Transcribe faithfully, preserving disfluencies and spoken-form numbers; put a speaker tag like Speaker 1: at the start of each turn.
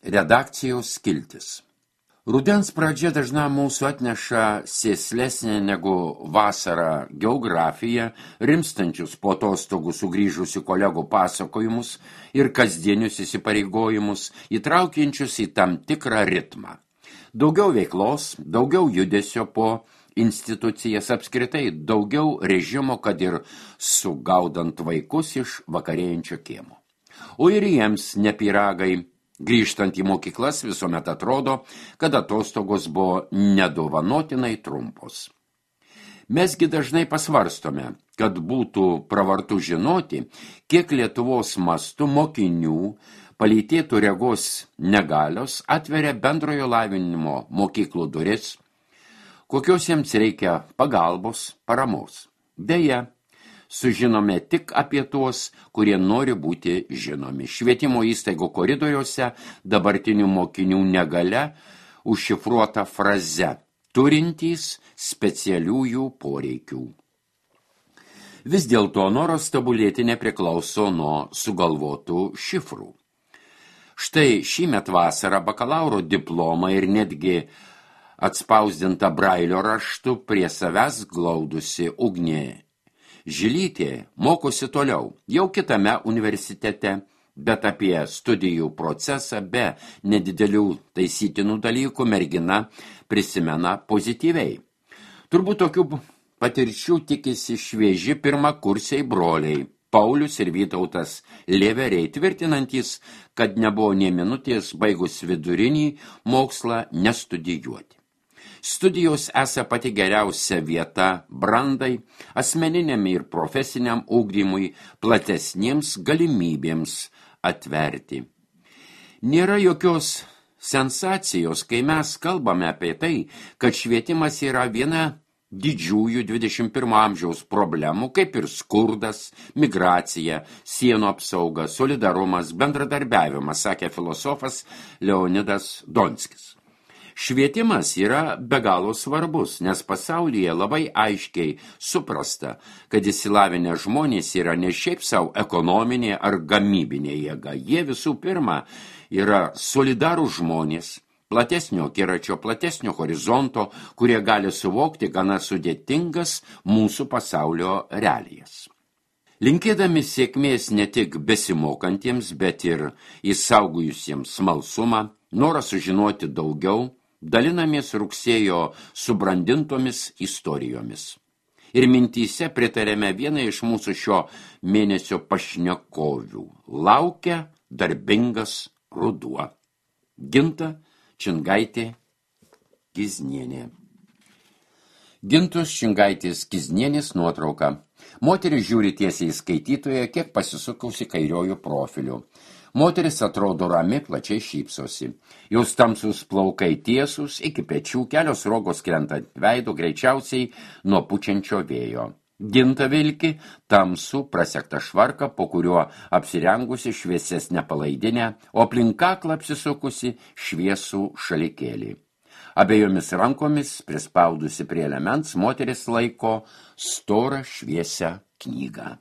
Speaker 1: Redakcijos skiltis. Rudens pradžia dažnam mūsų atneša sėslesnė negu vasara geografija, rimstančius po atostogų sugrįžusių kolegų pasakojimus ir kasdienius įsipareigojimus, įtraukiančius į tam tikrą ritmą. Daugiau veiklos, daugiau judesio po institucijas, apskritai daugiau režimo, kad ir sugaudant vaikus iš vakarėjančio kiemo. O ir jiems ne pyragai. Grįžtant į mokyklas visuomet atrodo, kad atostogos buvo nedovanotinai trumpos. Mesgi dažnai pasvarstome, kad būtų pravartu žinoti, kiek Lietuvos mastu mokinių palytėtų regos negalios atveria bendrojo lavinimo mokyklų duris, kokios jiems reikia pagalbos, paramos. Deja, sužinome tik apie tuos, kurie nori būti žinomi. Švietimo įstaigų koridoriuose dabartinių mokinių negalia užšifruota fraze turintys specialiųjų poreikių. Vis dėlto noras tobulėti nepriklauso nuo sugalvotų šifrų. Štai šįmet vasarą bakalauro diplomą ir netgi atspausdinta Brailio raštu prie savęs glaudusi Ugnė Žilytė mokosi toliau, jau kitame universitete, bet apie studijų procesą be nedidelių taisytinų dalykų mergina prisimena pozityviai. Turbūt tokių patirčių tikisi švieži pirmakursiai broliai, Paulius ir Vytautas Lėveriai, tvirtinantys, kad nebuvo nė minutės baigus vidurinį mokslą nestudijuoti. Studijos esą pati geriausia vieta brandai, asmeniniam ir profesiniam ugdymui, platesniems galimybėms atverti. Nėra jokios sensacijos, kai mes kalbame apie tai, kad švietimas yra viena didžiųjų dvidešimt pirmo amžiaus problemų, kaip ir skurdas, migracija, sienų apsauga, solidarumas, bendradarbiavimas, sakė filosofas Leonidas Donskis. Švietimas yra be galo svarbus, nes pasaulyje labai aiškiai suprasta, kad išsilavinę žmonės yra ne šiaip savo ekonominė ar gamybinė jėga. Jie visų pirma yra solidarų žmonės, platesnio akiračio, platesnio horizonto, kurie gali suvokti gana sudėtingas mūsų pasaulio realijas. Linkėdami sėkmės ne tik besimokantiems, bet ir įsaugojusiems smalsumą, norą sužinoti daugiau, dalinamės rugsėjo subrandintomis istorijomis. Ir mintyse pritarėme vieną iš mūsų šio mėnesio pašnekovių. Laukia darbingas ruduo. Ginta Čingaitė Kiznienė. Gintos Čingaitės Kiznienės nuotrauka. Moteris žiūri tiesiai į skaitytoją, kiek pasisukusi kairiojų profiliu. Moteris atrodo rami, plačiai šypsosi. Jos tamsus plaukai tiesus, iki pečių, kelios rogos krentant veido, greičiausiai nuo pučiančio vėjo. Ginta vilki tamsų prasektą švarką, po kuriuo apsirengusi šviesesnę palaidinę, o aplink kaklą apsisukusi šviesų šalikėlį. Abiejomis rankomis, prispaudusi prie elements, moteris laiko storą šviesią knygą.